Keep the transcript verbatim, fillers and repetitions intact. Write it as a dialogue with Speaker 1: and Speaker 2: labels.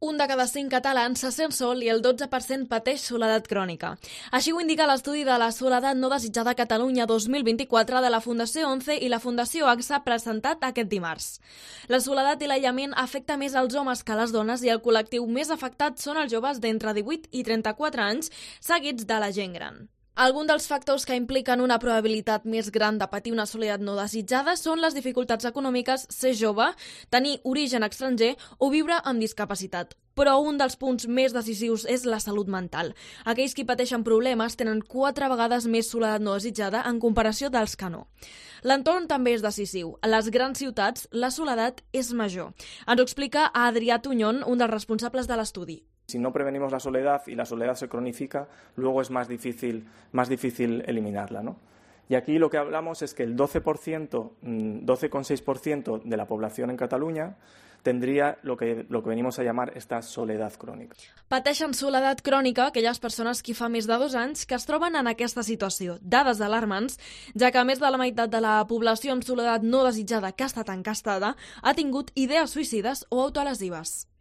Speaker 1: Un de cada cinc catalans se sent sol i el dotze per cent pateix soledat crònica. Així ho indica l'estudi de la soledat no desitjada a Catalunya dos mil vint-i-quatre de la Fundació ONCE i la Fundació AXA presentat aquest dimarts. La soledat i l'aïllament afecta més als homes que a les dones i el col·lectiu més afectat són els joves d'entre divuit i trenta-quatre anys, seguits de la gent gran. Alguns dels factors que impliquen una probabilitat més gran de patir una soledat no desitjada són les dificultats econòmiques, ser jove, tenir origen estranger o viure amb discapacitat. Però un dels punts més decisius és la salut mental. Aquells que pateixen problemes tenen quatre vegades més soledat no desitjada en comparació dels que no. L'entorn també és decisiu. A les grans ciutats, la soledat és major. Ens ho explica Adrià Tuñón, un dels responsables de l'estudi.
Speaker 2: Si no prevenimos la soledad y la soledad se cronifica, luego es más difícil, más difícil eliminarla, ¿no? Y aquí lo que hablamos es que el doce por ciento, doce coma seis por ciento de la población en Cataluña tendría lo que, lo que venimos a llamar esta soledad crònica.
Speaker 1: Pateixen soledat crònica aquelles persones que fa més de dos anys que es troben en aquesta situació. Dades alarmants, ja que més de la meitat de la població amb soledat no desitjada que ha estat encastada ha tingut idees suïcides o autolesives.